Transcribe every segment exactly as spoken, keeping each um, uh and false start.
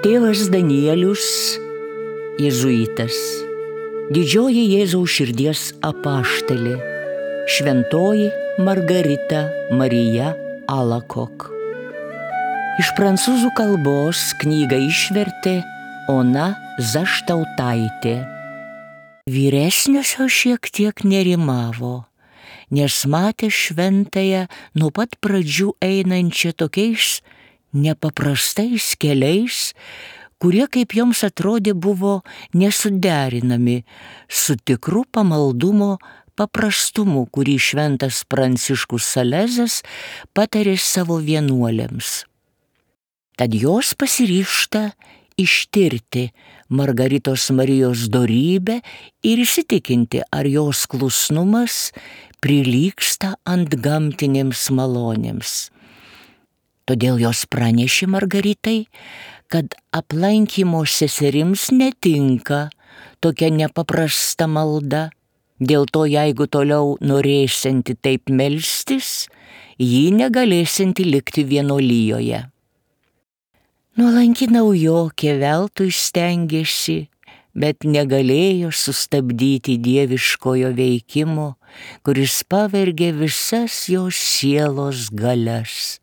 Tėvas Danielius, jėzuitas, didžioji Jėzaus širdies apaštalė, šventoji Margarita Marija Alakok. Iš prancūzų kalbos knygą išvertė Ona Zaštautaitė. Vyresniosios šiek tiek nerimavo, nes matė šventąją nuo pat pradžių einančią tokiais nepaprastais keliais, kurie, kaip joms atrodė, buvo nesuderinami su tikru pamaldumo paprastumu, kurį šventas Pranciškus Salezas patarė savo vienuolėms. Tad jos pasiryžta ištirti Margaritos Marijos dorybę ir įsitikinti, ar jos klusnumas prilygsta antgamtinėms malonėms. Todėl jos pranešė Margaritai, kad aplankymo seserims netinka tokia nepaprasta malda. Dėl to, jeigu toliau norėsianti taip melstis, ji negalėsianti likti vienuolijoje. Nuolanki naujokė veltui stengėsi, bet negalėjo sustabdyti dieviškojo veikimo, kuris pavergė visas jos sielos galias.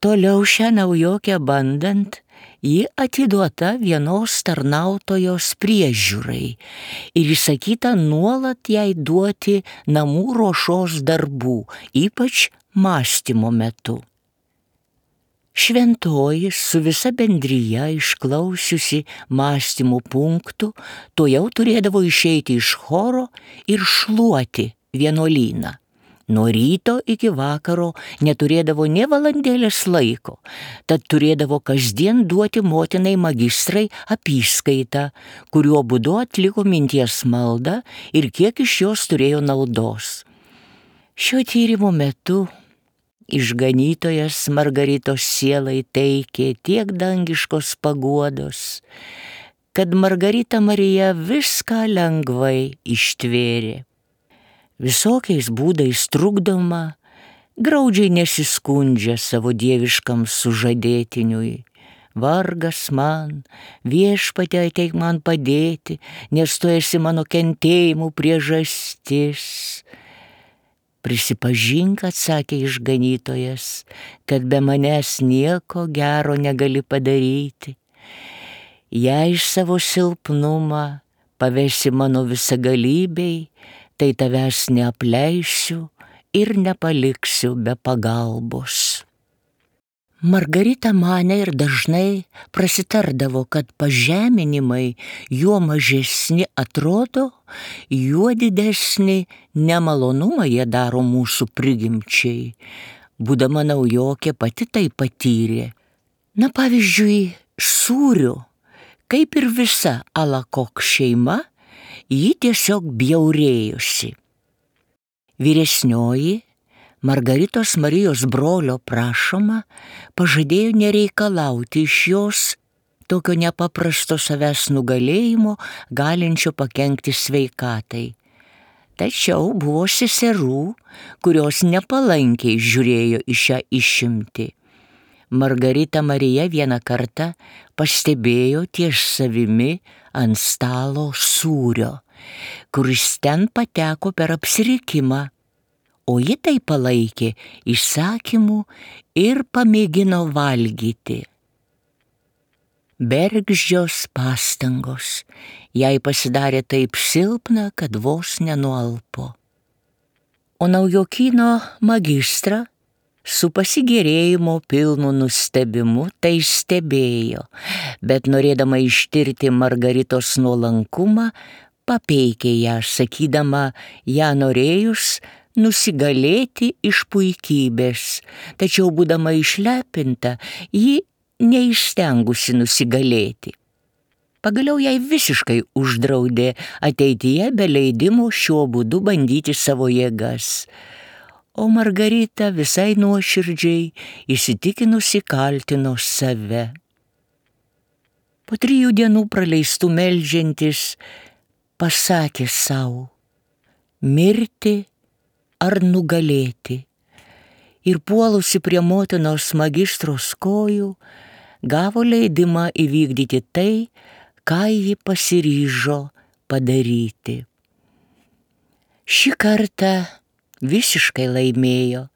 Toliau šią naujokę bandant, ji atiduota vienos tarnautojos priežiūrai ir įsakyta nuolat jai duoti namų ruošos darbų, ypač mąstymo metu. Šventoji su visa bendrija išklausiusi mąstymo punktų, tuojau turėdavo išeiti iš choro ir šluoti vienuolyną. Nuo ryto iki vakaro neturėdavo nė valandėlės laiko, tad turėdavo kasdien duoti motinai magistrai apyskaitą, kuriuo būdu atliko minties maldą ir kiek iš jos turėjo naudos. Šio tyrimo metu išganytojas Margaritos sielai teikė tiek dangiškos paguodos, kad Margarita Marija viską lengvai ištvėrė. Visokiais būdais trukdoma, graudžiai nesiskundžia savo dieviškam sužadėtiniui. Vargas man, Viešpatie, ateik man padėti, nes tu esi mano kentėjimų priežastis. Prisipažink, atsakė išganytojas, kad be manęs nieko gero negali padaryti. Jei savo silpnumą pavesi mano visagalybei, tai tavęs neapleisiu ir nepaliksiu be pagalbos. Margarita manė ir dažnai prasitardavo, kad pažeminimai juo mažesni atrodo, juo didesnį nemalonumą jie daro mūsų prigimčiai. Būdama naujokė pati tai patyrė. Na, pavyzdžiui, sūriu, kaip ir visa Alakok šeima, ji tiesiog bjaurėjosi. Vyresnioji, Margaritos Marijos brolio prašoma, pažadėjo nereikalauti iš jos tokio nepaprasto savęs nugalėjimo, galinčio pakenkti sveikatai. Tačiau buvo seserų, kurios nepalankiai žiūrėjo į šią išimtį. Margarita Marija vieną kartą pastebėjo ties savimi ant stalo sūrio, kuris ten pateko per apsirikimą, o ji tai palaikė įsakymu ir pamėgino valgyti. Bergždžios pastangos, jai pasidarė taip silpna, kad vos nenualpo. O naujokyno magistrą su pasigėrėjimo pilnu nustebimu tai stebėjo, bet norėdama ištirti Margaritos nuolankumą, papeikė ją, sakydama, ją norėjus nusigalėti iš puikybės, tačiau būdama išlepinta, ji neįstengusi nusigalėti. Pagaliau jai visiškai uždraudė ateityje be leidimo šiuo būdu bandyti savo jėgas. O Margarita visai nuoširdžiai įsitikinusi kaltino save. Po trijų dienų praleistų meldžiantis pasakė sau, mirti ar nugalėti. Ir puolusi prie motinos magistros kojų, gavo leidimą įvykdyti tai, ką ji pasiryžo padaryti. Šį kartą visiškai laimėjo,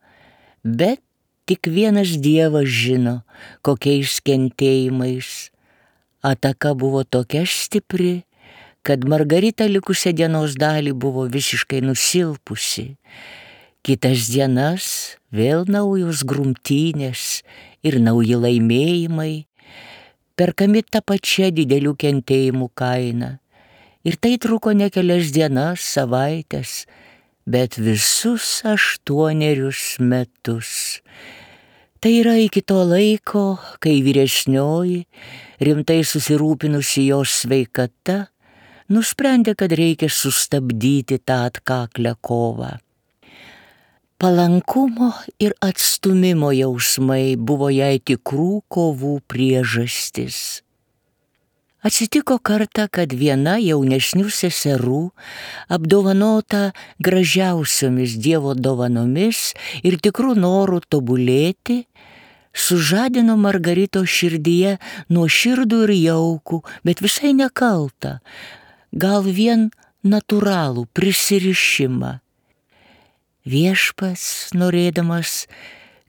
bet tik vienas Dievas žino, kokiais kentėjimais. Ataka buvo tokia stipri, kad Margarita likusią dienos dalį buvo visiškai nusilpusi. Kitas dienas vėl naujos grumtynės ir nauji laimėjimai, perkami tą pačią didelių kentėjimų kainą. Ir tai truko ne kelias dienas, savaitės, bet visus aštuonerius metus. Tai yra iki to laiko, kai vyresnioji, rimtai susirūpinusi jos sveikata, nusprendė, kad reikia sustabdyti tą atkaklią kovą. Palankumo ir atstumimo jausmai buvo jai tikrų kovų priežastis. Atsitiko kartą, kad viena jaunesnių seserų, apdovanota gražiausiomis Dievo dovanomis ir tikrų norų tobulėti, sužadino Margaritos širdyje nuoširdų ir jaukų, bet visai nekaltą, gal vien natūralų prisirišimą. Viešpats, norėdamas,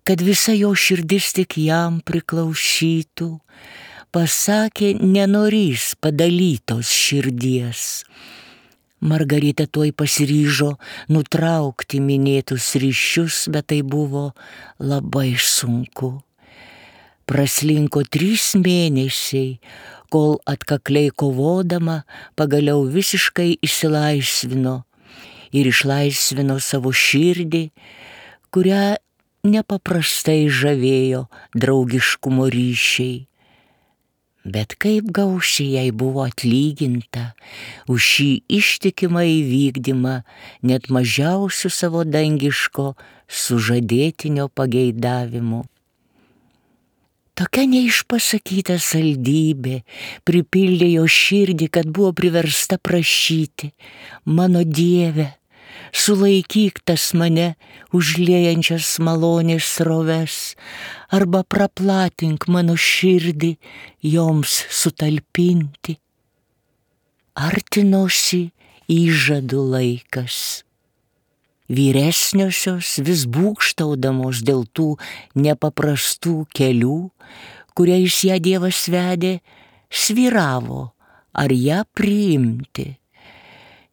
kad visa jo širdis tik jam priklausytų, pasakė, nenorys padalytos širdies. Margarita tuoj pasiryžo nutraukti minėtus ryšius, bet tai buvo labai sunku. Praslinko trys mėnesiai, kol atkakliai kovodama pagaliau visiškai išsilaisvino ir išlaisvino savo širdį, kurią nepaprastai žavėjo draugiškumo ryšiai. Bet kaip gausiai jai buvo atlyginta už šį ištikimą įvykdymą net mažiausių savo dangiško sužadėtinio pageidavimu. Tokia neišpasakyta saldybė pripildė jo širdį, kad buvo priversta prašyti, mano Dieve, sulaikyk tas mane užliejančias malonės sroves, arba praplatink mano širdį joms sutalpinti. Artinosi įžadų laikas. Vyresniosios vis būgštaudamos dėl tų nepaprastų kelių, kuriais ją Dievas vedė, svyravo, ar ją priimti.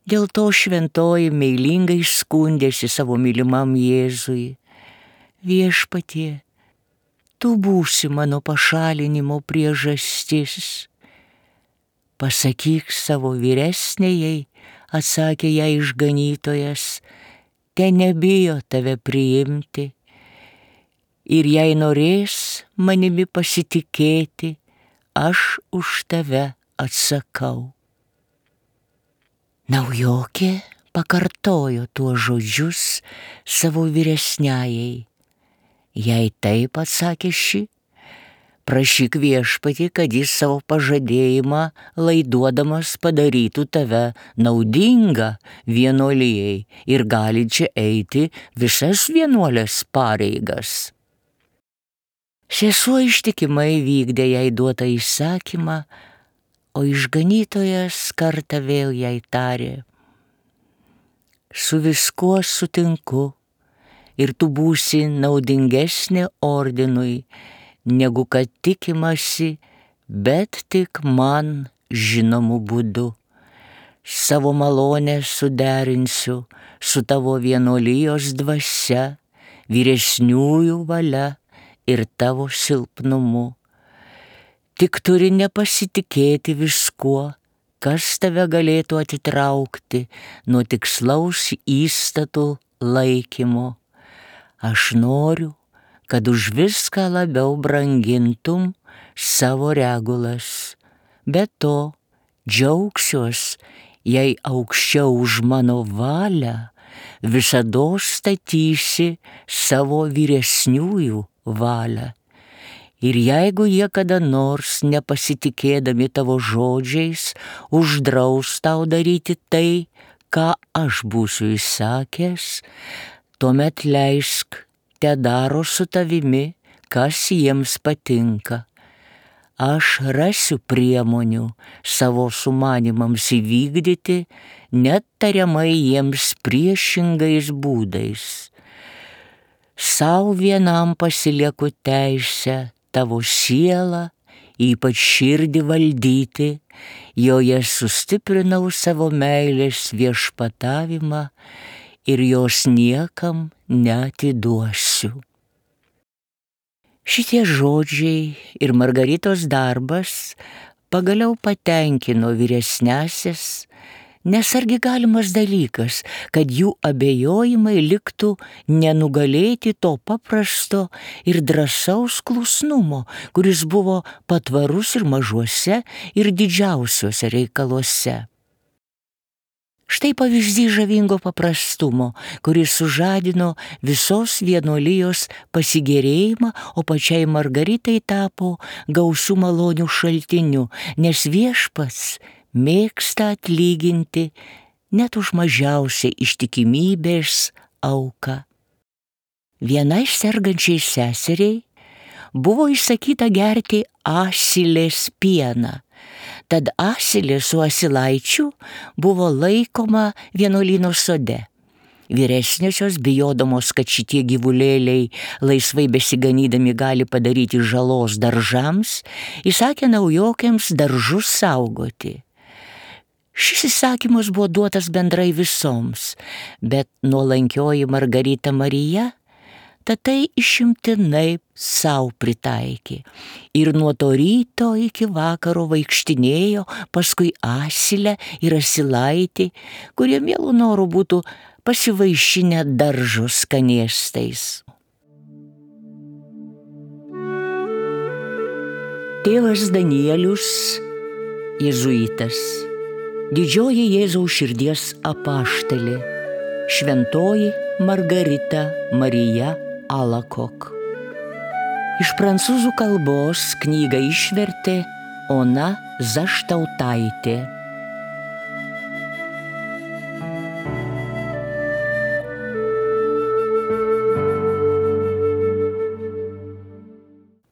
Dėl to šventoji meilingai skundėsi savo mylimam Jėzui. Viešpatie, tu būsi mano pašalinimo priežastis. Pasakyk savo vyresnėjai, atsakė jai išganytojas, te nebijo tave priimti. Ir jei norės manimi pasitikėti, aš už tave atsakau. Naujokė pakartojo tuos žodžius savo vyresniajai. Jei taip, atsakė ši, prašyk Viešpatį, kad jis savo pažadėjimą laiduodamas padarytų tave naudingą vienuolijai ir galinčią eiti visas vienuolės pareigas. Sesuo ištikimai vykdė jai duotą įsakymą, o išganytojas kartą vėl jai tarė, su viskuo sutinku ir tu būsi naudingesnė ordinui, negu kad tikimasi, bet tik man žinomu būdu. Savo malonę suderinsiu su tavo vienuolijos dvasia, vyresniųjų valia ir tavo silpnumu. Tik turi nepasitikėti viskuo, kas tave galėtų atitraukti nuo tikslaus įstatų laikymo. Aš noriu, kad už viską labiau brangintum savo regulas. Be to, džiaugsiuos, jei aukščiau už mano valią visados statysi savo vyresniųjų valią. Ir jeigu jie kada nors nepasitikėdami tavo žodžiais uždraus tau daryti tai, ką aš būsiu įsakęs, tuomet leisk te daro su tavimi, kas jiems patinka. aš rasiu priemonių savo sumanimams įvykdyti, net tariamai jiems priešingais būdais. Sau vienam pasilieku teisę tavo sielą, ypač širdį valdyti, joje sustiprinau savo meilės viešpatavimą ir jos niekam neatiduosiu. Šitie žodžiai ir Margaritos darbas pagaliau patenkino vyresniąsias, nes argi galimas dalykas, kad jų abejojimai liktų nenugalėti to paprasto ir drąsaus klusnumo, kuris buvo patvarus ir mažuose, ir didžiausiuose reikaluose. Štai pavyzdys žavingo paprastumo, kuris sužadino visos vienuolijos pasigėrėjimą, o pačiai Margaritai tapo gausių malonių šaltiniu, nes viešpats mėgsta atlyginti net už mažiausią ištikimybės auką. Vienai sergančiai seseriai buvo įsakyta gerti asilės pieną, tad asilė su asilaičiu buvo laikoma vienuolyno sode. Vyresniosios, bijodamos, kad šitie gyvulėliai laisvai besiganydami gali padaryti žalos daržams, įsakė naujokėms daržus saugoti. Šis įsakymas buvo duotas bendrai visoms, bet nuolankioji Margarita Marija tad tai išimtinai sau pritaikė. Ir nuo to ryto iki vakaro vaikštinėjo paskui asilę ir asilaitį, kurie mielų norų būtų pasivaišinę daržo skanėstais. Tėvas Danielius, jėzuitas, didžioji Jėzaus širdies apaštalė, šventoji Margarita Marija Alakok. Iš prancūzų kalbos knygą išvertė Ona Zaštautaitė.